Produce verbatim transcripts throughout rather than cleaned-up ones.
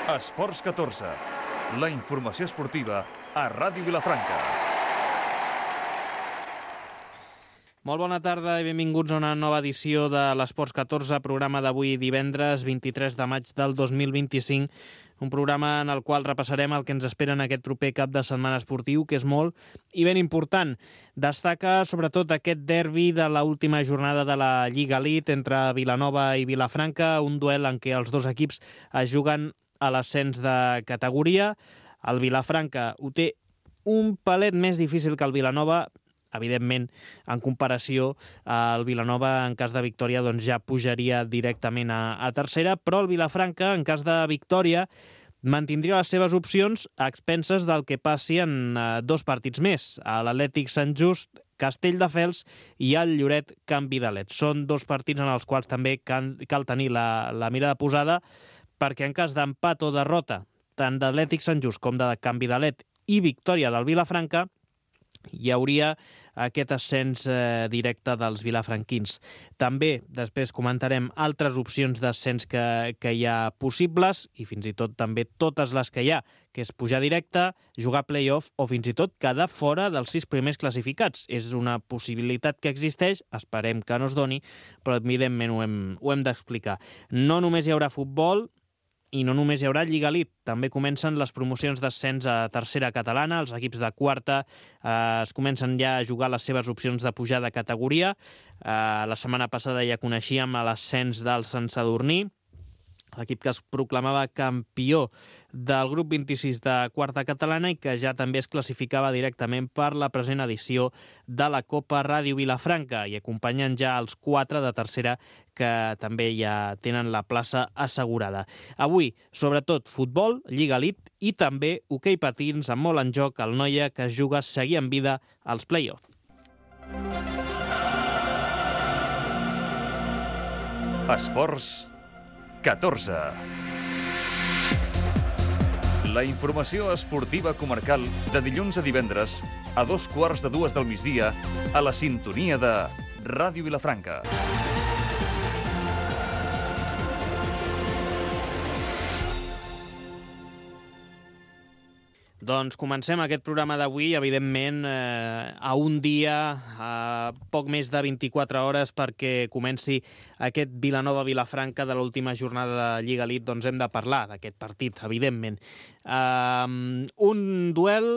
Esports catorze, la informació esportiva a Ràdio Vilafranca. Molt bona tarda i benvinguts a una nova edició de l'Esports catorze, programa d'avui divendres vint-i-tres de maig del dos mil vint-i-cinc, un programa en el qual repassarem el que ens espera en aquest proper cap de setmana esportiu, que és molt i ben important. Destaca sobretot aquest derbi de l'última jornada de la Lliga Elite entre Vilanova i Vilafranca, un duel en què els dos equips es juguen a l'ascens de categoria. El Vilafranca ho té un palet més difícil que el Vilanova. Evidentment, en comparació, el Vilanova, en cas de victòria, doncs ja pujaria directament a, a tercera, però el Vilafranca, en cas de victòria, mantindria les seves opcions a expenses del que passi en eh, dos partits més, a l'Atlètic Sant Just, Castelldefels i el Lloret Can Vidalet. Són dos partits en els quals també cal, cal tenir la, la mirada posada, perquè en cas d'empat o derrota, tant d'Atlètic Sant Just com de Can Vidalet i victòria del Vilafranca, hi hauria aquest ascens eh, directe dels vilafranquins. També després comentarem altres opcions d'ascens que, que hi ha possibles i fins i tot també totes les que hi ha, que és pujar directe, jugar play-off o fins i tot quedar fora dels sis primers classificats. És una possibilitat que existeix, esperem que no es doni, però evidentment ho hem, ho hem d'explicar. No només hi haurà futbol, i no només hi haurà Lliga Elite, també comencen les promocions d'ascens a tercera catalana, els equips de quarta eh, es comencen ja a jugar les seves opcions de pujar de categoria. Eh, la setmana passada ja coneixíem l'ascens del Sant Sadurní, l'equip que es proclamava campió del grup vint-i-sis de quarta catalana i que ja també es classificava directament per la present edició de la Copa Ràdio Vilafranca i acompanyen ja els quatre de tercera que també ja tenen la plaça assegurada. Avui, sobretot, futbol, Lliga Elite i també hoquei patins amb molt en joc el Noia, que es juga a seguir en vida als play-off. Esports catorze. La informació esportiva comarcal de dilluns a divendres a dos quarts de dues del migdia a la sintonia de Ràdio Vilafranca. Doncs comencem aquest programa d'avui, evidentment, eh, a un dia, a poc més de vint-i-quatre hores perquè comenci aquest Vilanova-Vilafranca de l'última jornada de Lliga Elite, doncs hem de parlar d'aquest partit, evidentment. Eh, un duel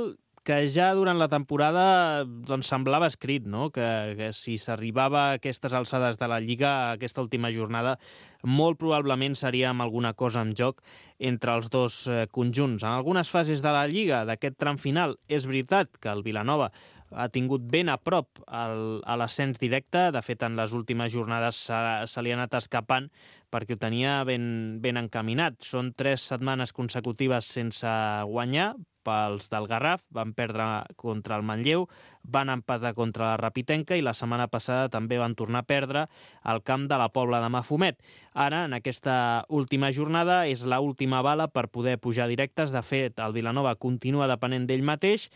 que ja durant la temporada doncs, semblava escrit, no? que, que si s'arribava a aquestes alçades de la Lliga, a aquesta última jornada, molt probablement seria amb alguna cosa en joc entre els dos eh, conjunts. En algunes fases de la Lliga, d'aquest tram final, és veritat que el Vilanova ha tingut ben a prop el, a l'ascens directe. De fet, en les últimes jornades se, se li ha anat escapant perquè ho tenia ben, ben encaminat. Són tres setmanes consecutives sense guanyar pels del Garraf, van perdre contra el Manlleu, van empatar contra la Rapitenca i la setmana passada també van tornar a perdre al camp de la Pobla de Mafumet. Ara, en aquesta última jornada, és l'última bala per poder pujar directes. De fet, el Vilanova continua depenent d'ell mateix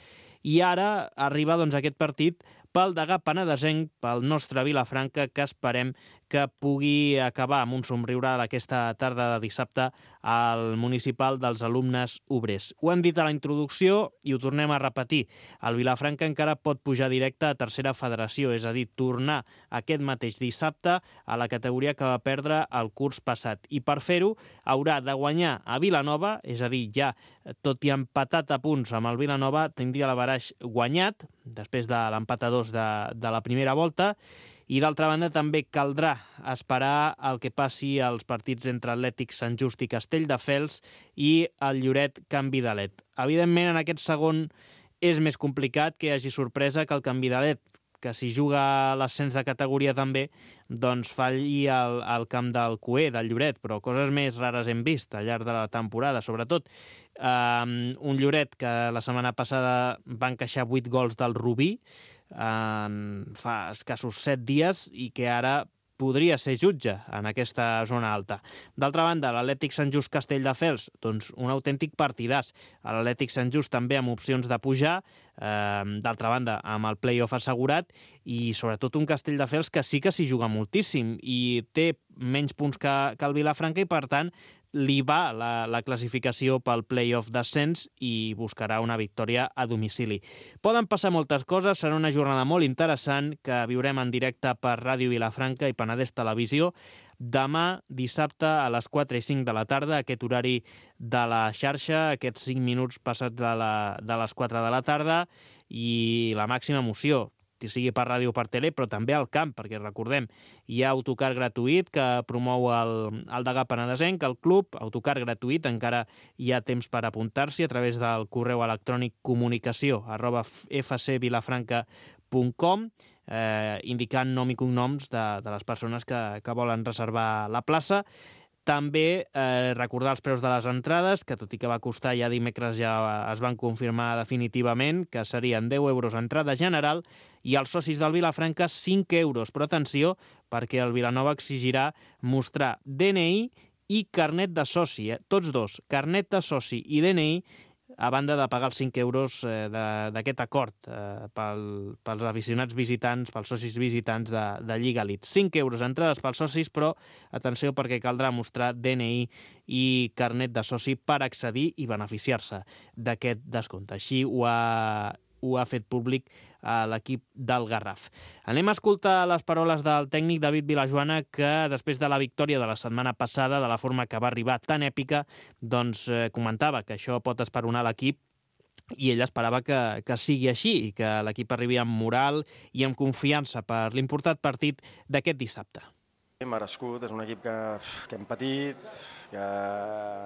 i ara arriba doncs, aquest partit pel degà penedesenc, pel nostre Vilafranca, que esperem que pugui acabar amb un somriure aquesta tarda de dissabte al municipal dels alumnes obrers. Ho hem dit a la introducció i ho tornem a repetir. El Vilafranca encara pot pujar directe a tercera federació, és a dir, tornar aquest mateix dissabte a la categoria que va perdre el curs passat. I per fer-ho haurà de guanyar a Vilanova, és a dir, ja tot i empatat a punts amb el Vilanova, tindria l'averaix guanyat, després de l'empat a dos de, de la primera volta, i d'altra banda també caldrà esperar el que passi als partits entre Atlètic Sant Just i Castelldefels i el Lloret Can Vidalet. Evidentment, en aquest segon és més complicat que hi hagi sorpresa que el Can Vidalet, que si juga l'ascens de categoria també, doncs falli al, al camp del Cué, del Lloret, però coses més rares hem vist al llarg de la temporada, sobretot. Um, un Lloret que la setmana passada va encaixar vuit gols del Rubí en fa escassos set dies i que ara podria ser jutge en aquesta zona alta. D'altra banda, l'Atlètic Sant Just Castelldefels, doncs un autèntic partidàs. L'Atlètic Sant Just també amb opcions de pujar, eh, d'altra banda amb el play-off assegurat, i sobretot un Castelldefels que sí que s'hi juga moltíssim i té menys punts que, que el Vilafranca i per tant li va la, la classificació pel play-off d'ascens i buscarà una victòria a domicili. Poden passar moltes coses, serà una jornada molt interessant que viurem en directe per Ràdio Vilafranca i Penedès Televisió. Demà, dissabte, a les quatre i cinc de la tarda, aquest horari de la xarxa, aquests cinc minuts passats de, la, de les quatre de la tarda, i la màxima emoció, sigui per ràdio o per tele, però també al camp, perquè recordem, hi ha autocar gratuït que promou el, el degà penedesenc, el club, autocar gratuït, encara hi ha temps per apuntar-s'hi a través del correu electrònic comunicació arroba f c vilafranca punt com, eh, indicant nom i cognoms de, de les persones que, que volen reservar la plaça. També eh, recordar els preus de les entrades, que tot i que va costar ja dimecres ja es van confirmar definitivament, que serien deu euros entrada general i els socis del Vilafranca cinc euros. Però atenció, perquè el Vilanova exigirà mostrar D N I i carnet de soci, eh? Tots dos, carnet de soci i D N I, a banda de pagar els cinc euros eh, d'aquest acord eh, pel, pels aficionats visitants, pels socis visitants de, de Lliga Elite. cinc euros entrades pels socis, però atenció perquè caldrà mostrar D N I i carnet de soci per accedir i beneficiar-se d'aquest descompte. Així ho ha, ho ha fet públic a l'equip del Garraf. Anem a escoltar les paraules del tècnic David Vilajoana, que després de la victòria de la setmana passada, de la forma que va arribar tan èpica, doncs eh, comentava que això pot esperonar l'equip i ell esperava que, que sigui així i que l'equip arribi amb moral i amb confiança per l'important partit d'aquest dissabte. Merescut, és un equip que, que hem patit, que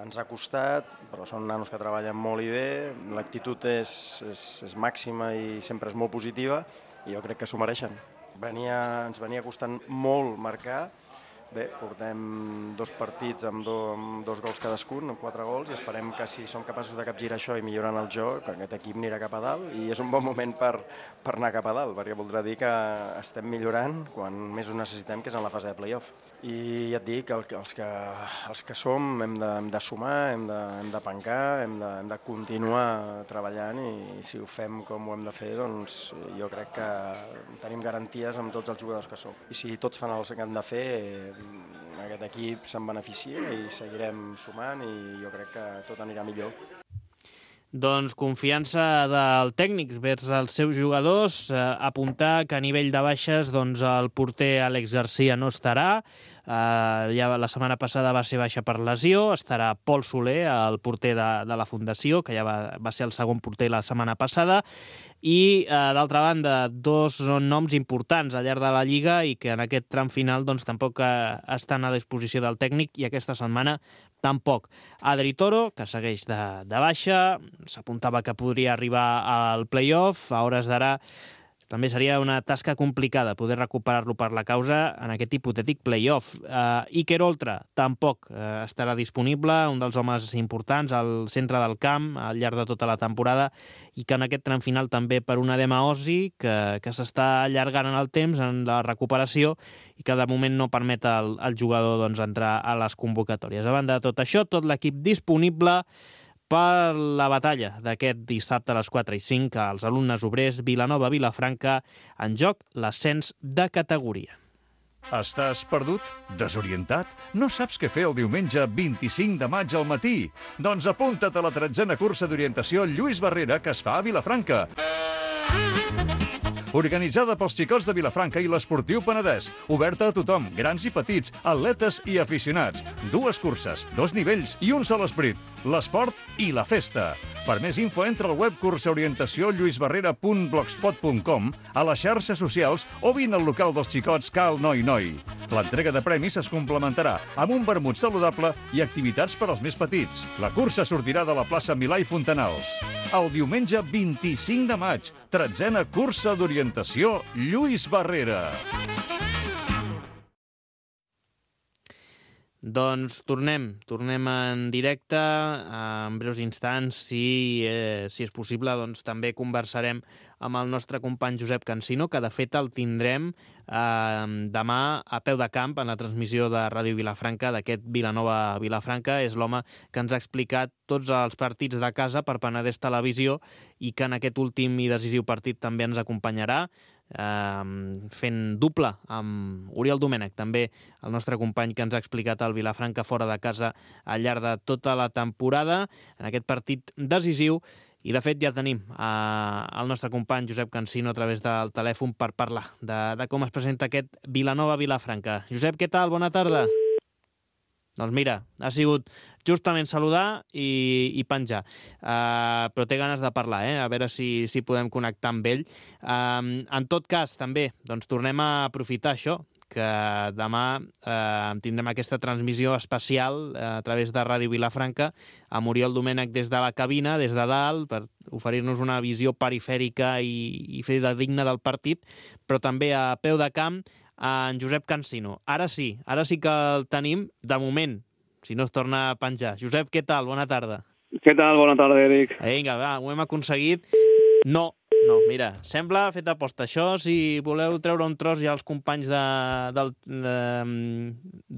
ens ha costat, però són nanos que treballen molt i bé, l'actitud és, és, és màxima i sempre és molt positiva i jo crec que s'ho mereixen. Venia, ens venia costant molt marcar, bé, portem dos partits amb, do, amb dos gols cadascun, amb quatre gols, i esperem que si som capaços de capgirar això i millorant el joc, aquest equip anirà cap a dalt i és un bon moment per, per anar cap a dalt, perquè voldrà dir que estem millorant quan més ho necessitem, que és en la fase de play-off. I ja et dic, el, els, que, els que som hem de, hem de sumar, hem de, hem de pencar, hem de, hem de continuar treballant i si ho fem com ho hem de fer, doncs jo crec que tenim garanties amb tots els jugadors que som. I si tots fan el que han de fer, aquest equip se'n beneficia i seguirem sumant i jo crec que tot anirà millor. Doncs confiança del tècnic vers els seus jugadors, eh, apuntar que a nivell de baixes doncs el porter Àlex Garcia no estarà, eh, ja la setmana passada va ser baixa per lesió, estarà Pol Soler, el porter de, de la Fundació, que ja va, va ser el segon porter la setmana passada, i eh, d'altra banda dos són noms importants al llarg de la Lliga i que en aquest tram final doncs tampoc eh, estan a disposició del tècnic i aquesta setmana tampoc. Adri Toro, que segueix de, de baixa, s'apuntava que podria arribar al play-off, a hores d'ara també seria una tasca complicada poder recuperar-lo per la causa en aquest hipotètic play-off. Uh, Iker Oltra tampoc uh, estarà disponible, un dels homes importants al centre del camp al llarg de tota la temporada i que en aquest tram final també per un edema ossi que, que s'està allargant en el temps en la recuperació i que de moment no permet al, al jugador doncs, entrar a les convocatòries. A banda de tot això, tot l'equip disponible per la batalla d'aquest dissabte a les quatre i cinc als alumnes obrers Vilanova-Vilafranca, en joc l'ascens de categoria. Estàs perdut? Desorientat? No saps què fer el diumenge vint-i-cinc de maig al matí? Doncs apunta't a la tretzena cursa d'orientació Lluís Barrera que es fa a Vilafranca. Organitzada pels xicots de Vilafranca i l'Esportiu Penedès. Oberta a tothom, grans i petits, atletes i aficionats. Dues curses, dos nivells i un sol esperit. L'esport i la festa. Per més info entra al web cursaorientació lluisbarrera punt blogspot punt com, a les xarxes socials o vine al local dels xicots Cal Noi Noi. L'entrega de premis es complementarà amb un vermut saludable i activitats per als més petits. La cursa sortirà de la plaça Milà i Fontanals. El diumenge vint-i-cinc de maig, tretzena cursa d'orientació Lluís Barrera. Doncs tornem, tornem en directe, en breus instants, si, eh, si és possible, doncs també conversarem amb el nostre company Josep Cansino, que de fet el tindrem eh, demà a peu de camp en la transmissió de Ràdio Vilafranca d'aquest Vilanova-Vilafranca. És l'home que ens ha explicat tots els partits de casa per Penedès Televisió i que en aquest últim i decisiu partit també ens acompanyarà. eh, fent doble amb Oriol Domènech, també el nostre company que ens ha explicat el Vilafranca fora de casa al llarg de tota la temporada, en aquest partit decisiu. I, de fet, ja tenim eh, el nostre company Josep Cansino a través del telèfon per parlar de, de com es presenta aquest Vilanova-Vilafranca. Josep, què tal? Bona tarda. Doncs mira, ha sigut justament saludar i, i penjar. Uh, però té ganes de parlar, eh? A veure si, si podem connectar amb ell. Uh, en tot cas, també, doncs tornem a aprofitar això, que demà eh, tindrem aquesta transmissió especial eh, a través de Ràdio Vilafranca amb Oriol Domènech des de la cabina, des de dalt, per oferir-nos una visió perifèrica i, i fer de digna del partit, però també a peu de camp en Josep Cansino. Ara sí, ara sí que el tenim, de moment, si no es torna a penjar. Josep, què tal? Bona tarda. Què tal? Bona tarda, Eric. Vinga, va, ho hem aconseguit. No, no, mira, sembla fet aposta. Això, si voleu treure un tros ja als companys de, del, de,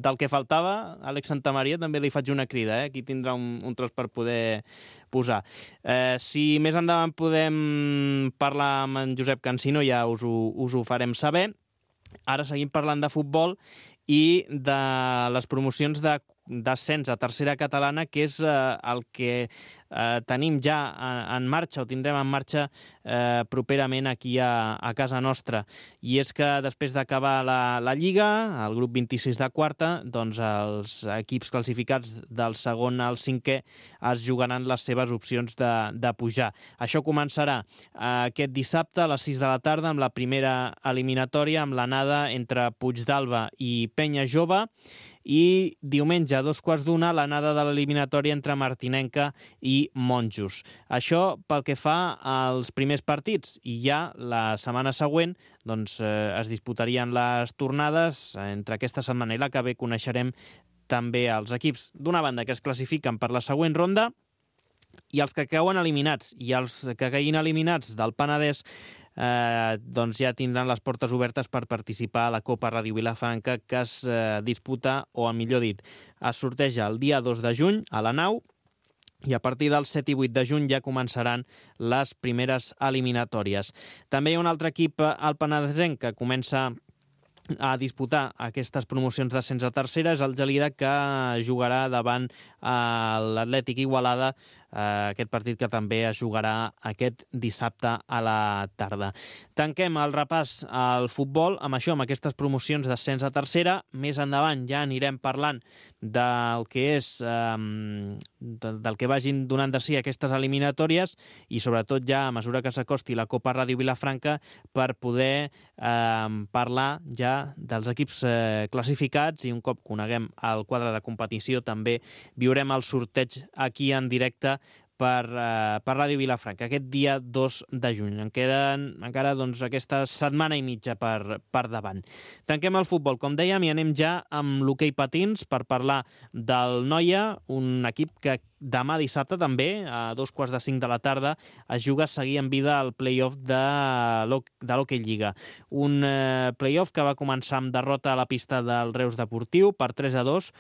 del que faltava, Àlex Santamaria, també li faig una crida, eh? Aquí tindrà un, un tros per poder posar. Eh, si més endavant podem parlar amb en Josep Cansino, ja us ho, us ho farem saber. Ara seguim parlant de futbol i de les promocions de d'ascens a tercera catalana, que és eh, el que eh, tenim ja en, en marxa, o tindrem en marxa eh, properament aquí a, a casa nostra. I és que després d'acabar la, la Lliga, el grup vint-i-sis de quarta, doncs els equips classificats del segon al cinquè es jugaran les seves opcions de, de pujar. Això començarà eh, aquest dissabte a les sis de la tarda amb la primera eliminatòria, amb l'anada entre Puigdàlber i Penya Jove, i diumenge a dos quarts d'una l'anada de l'eliminatòria entre Martinenca i Monjos. Això pel que fa als primers partits, i ja la setmana següent doncs, eh, es disputarien les tornades. Entre aquesta setmana i la que ve coneixerem també els equips, d'una banda, que es classifiquen per la següent ronda, i els que cauen eliminats, i els que caiguin eliminats del Penedès eh, doncs ja tindran les portes obertes per participar a la Copa Ràdio Vilafranca, que es eh, disputa, o millor dit, es sorteja el dia dos de juny a la nau, i a partir del set i vuit de juny ja començaran les primeres eliminatòries. També hi ha un altre equip al Penedesenc que comença a disputar aquestes promocions d'ascens a tercera, és el Gelida, que jugarà davant l'Atlètic Igualada, aquest partit que també es jugarà aquest dissabte a la tarda. Tanquem el repàs al futbol amb això, amb aquestes promocions d'ascens a tercera. Més endavant ja anirem parlant del que és eh, del que vagin donant de si aquestes eliminatòries, i sobretot ja a mesura que s'acosti la Copa Ràdio Vilafranca per poder eh, parlar ja dels equips eh, classificats, i un cop coneguem el quadre de competició també viurem el sorteig aquí en directe per, eh, per Ràdio Vilafranca, aquest dia dos de juny. En queden encara doncs, aquesta setmana i mitja per, per davant. Tanquem el futbol, com dèiem, i anem ja amb l'hoquei patins per parlar del Noia, un equip que demà dissabte també, a dos quarts de cinc de la tarda, es juga a seguir en vida el play-off de l'Hockey Lliga. Un eh, play-off que va començar amb derrota a la pista del Reus Deportiu per tres a dos,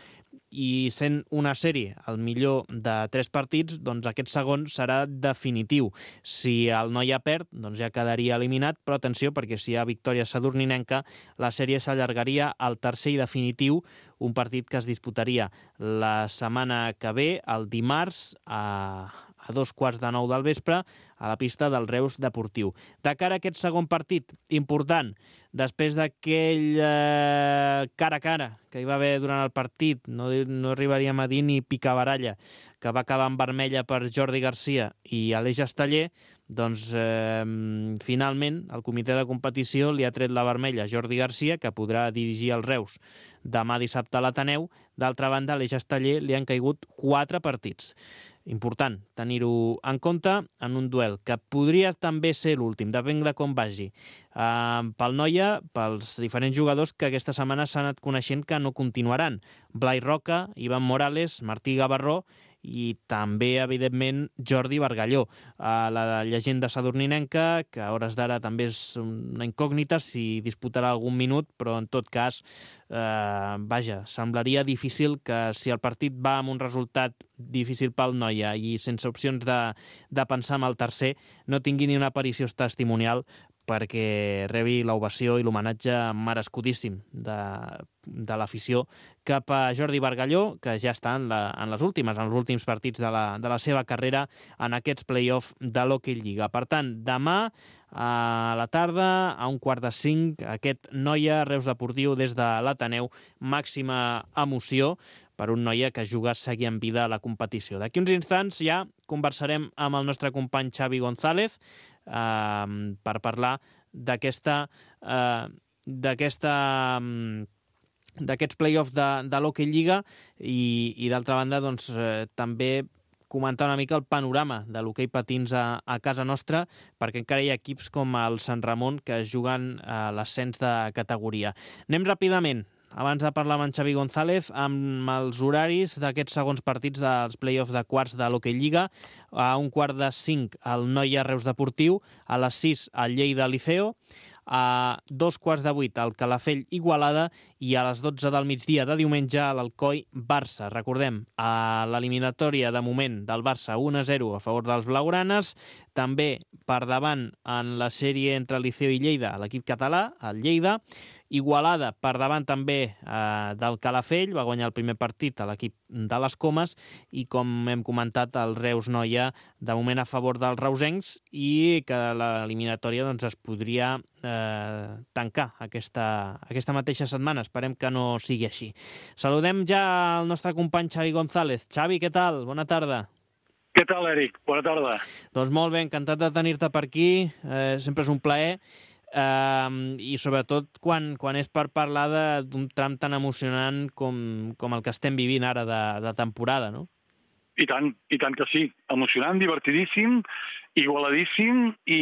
i sent una sèrie el millor de tres partits, doncs aquest segon serà definitiu. Si el Noia perd, doncs ja quedaria eliminat, però atenció, perquè si hi ha victòria sadurninenca, la sèrie s'allargaria al tercer i definitiu, un partit que es disputaria la setmana que ve, el dimarts, a, a dos quarts de nou del vespre, a la pista del Reus Deportiu. De cara a aquest segon partit, important, després d'aquell eh, cara a cara que hi va haver durant el partit, no, no arribaríem a dir ni picabaralla, que va acabar en vermella per Jordi Garcia i Aleix Esteller, doncs eh, finalment el comitè de competició li ha tret la vermella a Jordi Garcia, que podrà dirigir el Reus demà dissabte a l'Ateneu. D'altra banda, a Aleix Esteller li han caigut quatre partits. Important tenir-ho en compte en un duel que podria també ser l'últim, depèn de com vagi. Uh, pel Noia, pels diferents jugadors que aquesta setmana s'han anat coneixent que no continuaran. Blai Roca, Ivan Morales, Martí Gavarró i també, evidentment, Jordi Bargalló. Uh, la llegenda sadurninenca, que a hores d'ara també és una incògnita si disputarà algun minut, però en tot cas, uh, vaja, semblaria difícil que si el partit va amb un resultat difícil pel Noia i sense opcions de, de pensar en el tercer, no tingui ni una aparició testimonial perquè rebi l'ovació i l'homenatge merescudíssim de, de l'afició cap a Jordi Bargalló, que ja està en, la, en les últimes, en els últims partits de la, de la seva carrera en aquests play-off de l'Hockey Lliga. Per tant, demà a la tarda, a un quart de cinc, aquest Noia Reus Deportiu des de l'Ateneu, màxima emoció per un Noia que juga seguir en vida a la competició. D'aquí uns instants ja conversarem amb el nostre company Xavi González eh, per parlar d'aquesta eh, d'aquesta d'aquests play-offs de, de l'Hockey Lliga i, i d'altra banda doncs, eh, també comentar una mica el panorama de l'hoquei patins a, a casa nostra, perquè encara hi ha equips com el Sant Ramon que juguen a l'ascens de categoria. Anem ràpidament, abans de parlar amb en Xavi González, amb els horaris d'aquests segons partits dels play-offs de quarts de l'Hockey Lliga. A un quart de cinc el Noia Reus Deportiu, a les sis el Lleida Liceo, a dos quarts de vuit el Calafell Igualada i a les dotze del migdia de diumenge a l'Alcoi Barça. Recordem, a l'eliminatòria de moment del Barça un a zero a favor dels blaugranes, també per davant en la sèrie entre Liceo i Lleida l'equip català, el Lleida, Igualada per davant també eh, del Calafell, va guanyar el primer partit a l'equip de les Comes i, com hem comentat, el Reus Noia de moment a favor dels reusencs i que l'eliminatòria doncs, es podria eh, tancar aquesta, aquesta mateixa setmana. Esperem que no sigui així. Saludem ja el nostre company Xavi González. Xavi, què tal? Bona tarda. Què tal, Eric? Bona tarda. Doncs molt bé, encantat de tenir-te per aquí. Eh, sempre és un plaer. Uh, i sobretot quan, quan és per parlar d'un tram tan emocionant com, com el que estem vivint ara de, de temporada, no? I tant, i tant que sí. Emocionant, divertidíssim, igualadíssim i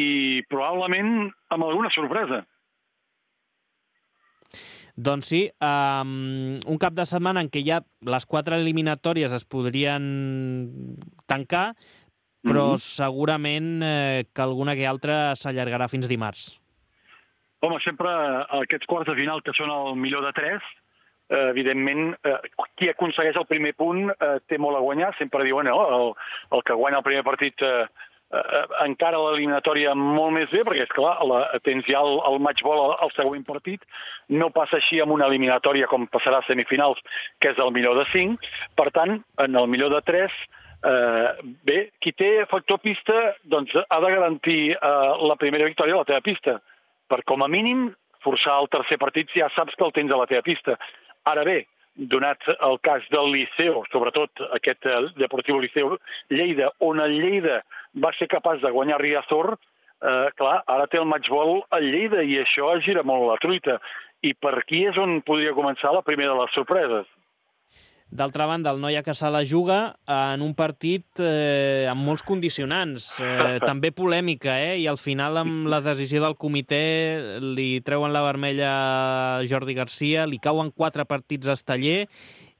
probablement amb alguna sorpresa. Doncs sí, um, un cap de setmana en què ja les quatre eliminatòries es podrien tancar, però mm-hmm. segurament eh, que alguna que altra s'allargarà fins dimarts. Home, sempre aquests quarts de final que són el millor de tres, eh, evidentment, eh, qui aconsegueix el primer punt eh, té molt a guanyar. Sempre diuen, no, el, el que guanya el primer partit eh, eh, encara l'eliminatòria molt més bé, perquè, és clar, la, tens ja el, el matchball al, al següent partit. No passa així amb una eliminatòria com passarà a semifinals, que és el millor de cinc. Per tant, en el millor de tres, eh, bé, qui té factor pista doncs, ha de garantir eh, la primera victòria a la teva pista. Per com a mínim forçar el tercer partit si ja saps que el tens a la teva pista. Ara bé, donat el cas del Liceo, sobretot aquest Deportiu Liceo Lleida, on el Lleida va ser capaç de guanyar Riazor, eh, clar, ara té el matchball al Lleida i això gira molt la truita. I per aquí és on podria començar la primera de les sorpreses. D'altra banda, el Noia que se la juga en un partit eh, amb molts condicionants, eh, també polèmica, eh? I al final, amb la decisió del comitè, li treuen la vermella a Jordi Garcia, li cauen quatre partits a Esteller,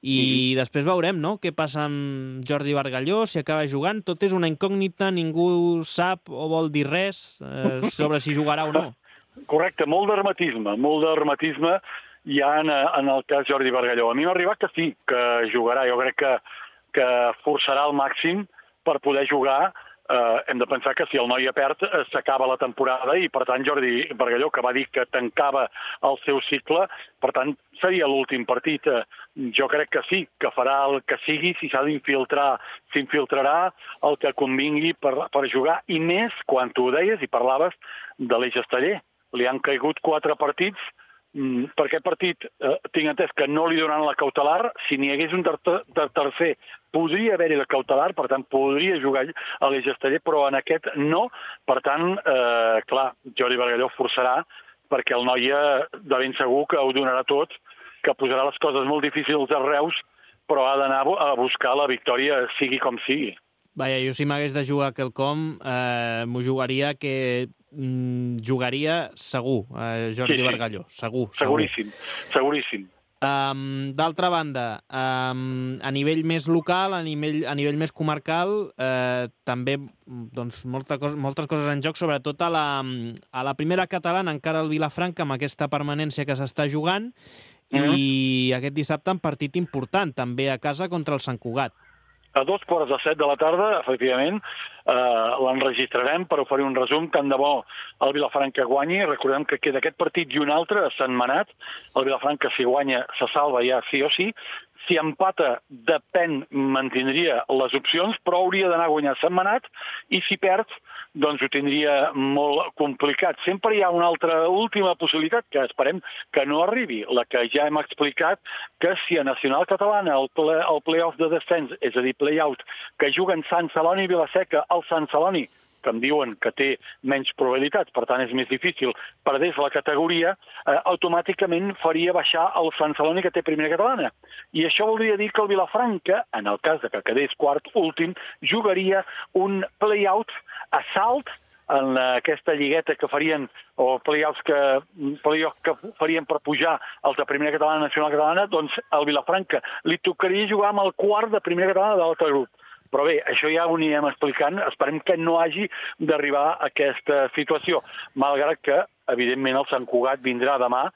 i mm. després veurem, no?, què passa amb Jordi Bargalló, si acaba jugant. Tot és una incògnita, ningú sap o vol dir res eh, sobre si jugarà o no. Correcte, molt d'hermetisme, molt d'hermetisme hi ha en, en el cas Jordi Bargalló. A mi m'ha arribat que sí, que jugarà. Jo crec que, que forçarà al màxim per poder jugar. Eh, hem de pensar que si el Noia perd eh, s'acaba la temporada i, per tant, Jordi Bargalló, que va dir que tancava el seu cicle, per tant, seria l'últim partit. Eh, jo crec que sí, que farà el que sigui, si s'ha d'infiltrar, s'infiltrarà el que convingui per, per jugar, i més quan tu ho deies i parlaves de l'Eix Esteller. Li han caigut quatre partits. Per aquest partit eh, tinc entès que no li donaran la cautelar. Si n'hi hagués un ter ter tercer, podria haver-hi la cautelar, per tant, podria jugar a l'Eix Esteller, però en aquest no. Per tant, eh, clar, Jordi Bargalló forçarà, perquè el Noia de ben segur que ho donarà tot, que posarà les coses molt difícils a Reus, però ha d'anar a buscar la victòria, sigui com sigui. Vaja, jo si m'hagués de jugar quelcom, eh, m'ho jugaria que mm, jugaria segur, eh, Jordi sí, sí. Bargalló, segur. Seguríssim, segur. seguríssim. Um, D'altra banda, um, a nivell més local, a nivell, a nivell més comarcal, eh, també doncs, molta cos, moltes coses en joc, sobretot a la, a la primera catalana, encara el Vilafranca, amb aquesta permanència que s'està jugant, mm-hmm. i aquest dissabte un partit important, també a casa contra el Sant Cugat. a dos quarts de set de la tarda, efectivament, eh, l'enregistrarem per oferir un resum. Tant de bo el Vilafranca guanyi. Recordem que queda aquest partit i un altre a Sentmenat. El Vilafranca, si guanya, se salva ja sí o sí. Si empata, depèn, mantindria les opcions, però hauria d'anar a guanyar Sentmenat, i si perd, doncs ho tindria molt complicat. Sempre hi ha una altra última possibilitat, que esperem que no arribi, la que ja hem explicat, que si a Nacional Catalana el, ple, el play-off de descens, és a dir, play-out, que juguen Sant Celoni i Vilaseca, el Sant Celoni, que em diuen que té menys probabilitats, per tant és més difícil, perdés la categoria, eh, automàticament faria baixar el Sant Celoni, que té primera catalana. I això voldria dir que el Vilafranca, en el cas de que quedés quart últim, jugaria un play-out a salt en aquesta lligueta que farien, o play-offs que, play-off que farien per pujar els de primera catalana, nacional catalana, doncs al Vilafranca li tocaria jugar amb el quart de primera catalana de l'altre grup. Però bé, això ja ho anirem explicant. Esperem que no hagi d'arribar a aquesta situació, malgrat que, evidentment, el Sant Cugat vindrà demà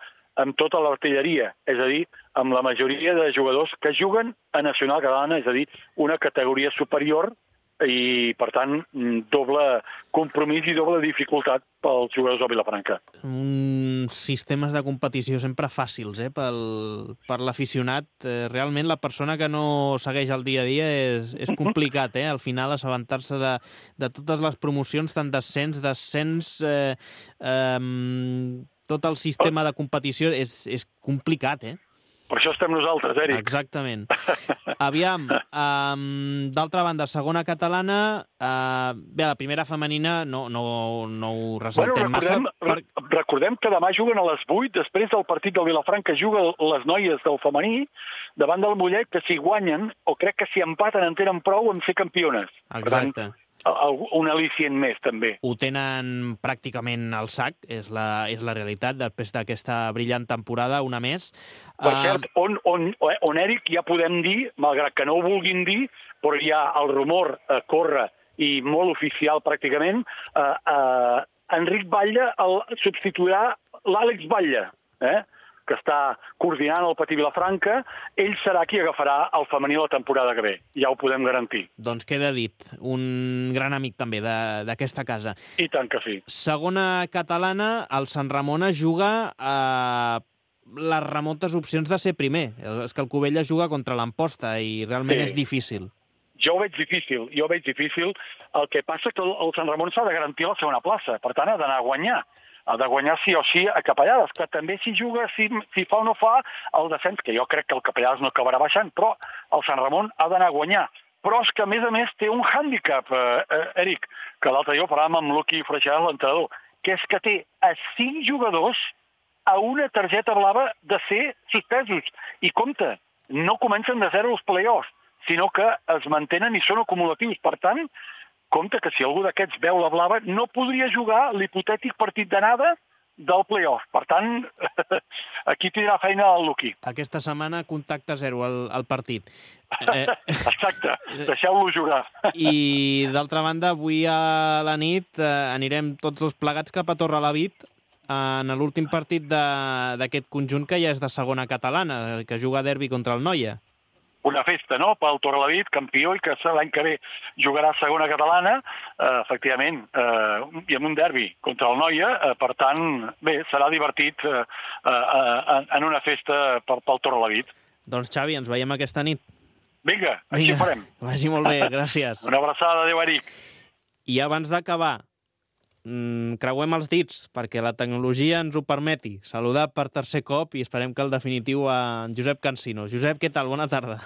amb tota l'artilleria, és a dir, amb la majoria de jugadors que juguen a Nacional Catalana, és a dir, una categoria superior, i, per tant, doble compromís i doble dificultat pels jugadors del Vilafranca. Uns sistemes de competició sempre fàcils, eh, pel, per l'aficionat. Eh, realment, la persona que no segueix el dia a dia és, és complicat, eh, al final, assabentar-se de, de totes les promocions, tant d'ascens, descens, eh, eh, tot el sistema de competició és, és complicat, eh? Per això estem nosaltres, Eric. Exactament. Aviam, um, d'altra banda, segona catalana, uh, bé, la primera femenina no, no, no ho ressaltem bueno, recordem, massa. Per... Recordem que demà juguen a les vuit, després del partit del Vilafranca juguen les noies del femení, davant del Mollet, que si guanyen, o crec que si empaten en tenen prou en ser campiones. Exacte. Un al·licient més, també. Ho tenen pràcticament al sac, és la, és la realitat, després d'aquesta brillant temporada, una més. Per cert, on, on, on, Eric, ja podem dir, malgrat que no ho vulguin dir, però ja el rumor eh, corre, i molt oficial pràcticament, eh, eh, Enric Batlle el substituirà l'Àlex Batlle, eh? que està coordinant el Patí Vilafranca. Ell serà qui agafarà el femení la temporada que ve, ja ho podem garantir. Doncs queda dit, un gran amic també d'aquesta casa. I tant que sí. Segona catalana, el Sant Ramon es juga a les remotes opcions de ser primer. És que el Cubelles juga contra l'Amposta i realment sí. és difícil. Jo ho veig difícil, jo ho veig difícil. El que passa que el Sant Ramon s'ha de garantir la segona plaça, per tant ha d'anar a guanyar. Ha de guanyar sí o sí a Capellades, que també si juga, si, si fa o no fa, el descens, que jo crec que el Capellades no acabarà baixant, però el Sant Ramon ha d'anar a guanyar. Però és que, a més a més, té un hàndicap, eh, eh, Eric, que l'altre dia ho parlàvem amb Luqui Freixas, l'entrenador, que és que té a cinc jugadors a una targeta blava de ser suspesos. I compte, no comencen de zero els play-offs, sinó que es mantenen i són acumulatius. Per tant, compte que si algú d'aquests veu la blava, no podria jugar l'hipotètic partit d'anada del play-off. Per tant, aquí tindrà feina el Luqui. Aquesta setmana contacte zero al, al partit. Eh... Exacte, deixeu-lo jugar. I d'altra banda, avui a la nit eh, anirem tots dos plegats cap a Torrelavit en l'últim partit d'aquest conjunt que ja és de segona catalana, que juga a derbi contra el Noia. Una festa, no?, pel Torrelavit, campió, i que l'any que ve jugarà a segona catalana, eh, efectivament, eh, i amb un derbi contra el Noia, eh, per tant, bé, serà divertit eh, eh, en una festa pel, pel Torrelavit. Doncs, Xavi, ens veiem aquesta nit. Vinga, així Vinga, farem. Vagi molt bé, gràcies. Una abraçada, adéu, Eric. I abans d'acabar, mm, creuem els dits perquè la tecnologia ens ho permeti. Saludar per tercer cop i esperem que el definitiu a en Josep Cansino. Josep, què tal? Bona tarda.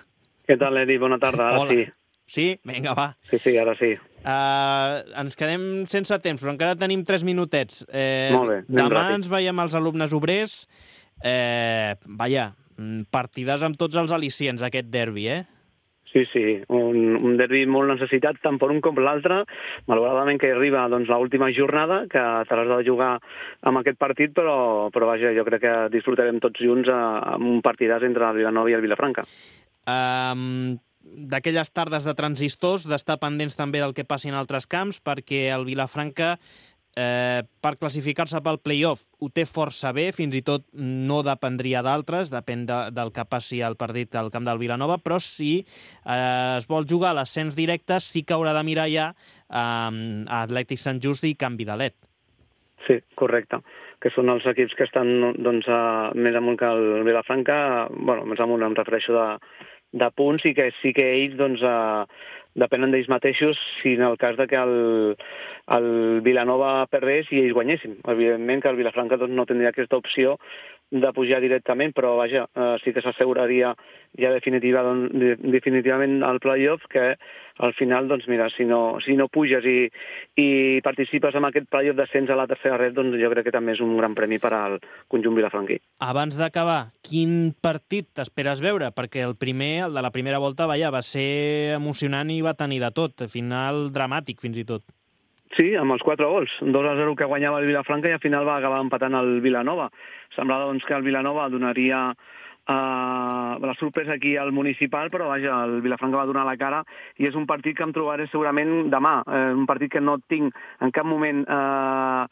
Què tal, Edi? Bona tarda. Ara Hola. sí. Sí? Vinga, va. Sí, sí, ara sí. Uh, ens quedem sense temps, però encara tenim tres minutets. Eh, Molt bé, anem demà ràpid. ens veiem els alumnes obrers. Eh, vaja, partides amb tots els al·licients, aquest derbi, eh? Sí, sí, un, un derbi molt necessitat tant per un com per l'altre. Malauradament que arriba doncs, l'última jornada, que t'has de jugar amb aquest partit, però, però vaja, jo crec que disfrutarem tots junts a, amb un partidàs entre el Vilanova i el Vilafranca. Um, d'aquelles tardes de transistors, d'estar pendents també del que passi en altres camps, perquè el Vilafranca eh, per classificar-se pel play-off ho té força bé, fins i tot no dependria d'altres, depèn de, del que passi al partit al camp del Vilanova, però si eh, es vol jugar a l'ascens directe sí que haurà de mirar ja eh, a Atlètic Sant Just i Can Vidalet. Sí, correcte, que són els equips que estan doncs, a, més amunt que el Vilafranca, bueno, més amunt em refereixo de, de punts, i que sí que ells doncs, a, depenen d'ells mateixos si en el cas de que el, el Vilanova perdés i ells guanyessin. Evidentment que el Vilafranca doncs, no tindria aquesta opció de pujar directament, però vaja, eh, sí que s'asseguraria ja definitiva, doncs, definitivament al playoff, que al final, doncs mira, si no, si no puges i, i participes en aquest playoff d'ascens a la tercera red, doncs jo crec que també és un gran premi per al conjunt vilafranquí. Abans d'acabar, quin partit t'esperes veure? Perquè el primer, el de la primera volta, vaja, va ser emocionant i va tenir de tot, final dramàtic fins i tot. Sí, amb els quatre gols, dos a zero que guanyava el Vilafranca i al final va acabar empatant el Vilanova. Semblava doncs, que el Vilanova donaria uh, la sorpresa aquí al municipal, però vaja, el Vilafranca va donar la cara i és un partit que em trobaré segurament demà, eh, un partit que no tinc en cap moment eh,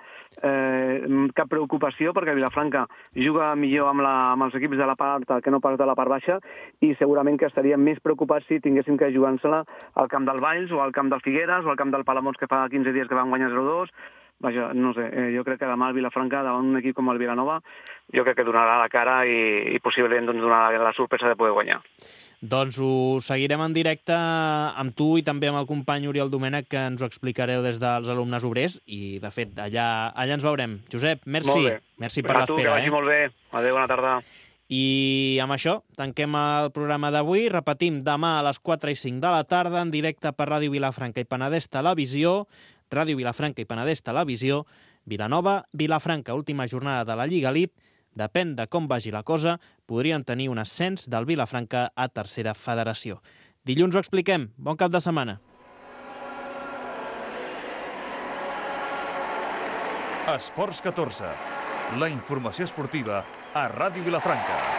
eh, cap preocupació, perquè el Vilafranca juga millor amb, la, amb els equips de la part alta que no pas de la part baixa, i segurament que estaríem més preocupats si tinguéssim que jugar-se-la al camp del Valls o al camp del Figueres o al camp del Palamós, que fa quinze dies que van guanyar zero dos. Vaja, no sé, eh, jo crec que demà el Vilafranca, davant un equip com el Vilanova, jo crec que donarà la cara i, i possiblement doncs, donarà la sorpresa de poder guanyar. Doncs ho seguirem en directe amb tu i també amb el company Oriol Domènech, que ens ho explicareu des dels alumnes obrers, i de fet allà, allà ens veurem. Josep, merci. Merci per l'espera. Que vagi eh? molt bé. Adéu, bona tarda. I amb això tanquem el programa d'avui. Repetim, demà a les quatre i cinc de la tarda, en directe per Ràdio Vilafranca i Penedès Televisió, Ràdio Vilafranca i Penedès Televisió, Vilanova, Vilafranca, última jornada de la Lliga Elite. Depèn de com vagi la cosa, podrien tenir un ascens del Vilafranca a tercera federació. Dilluns ho expliquem. Bon cap de setmana. Esports catorze. La informació esportiva a Ràdio Vilafranca.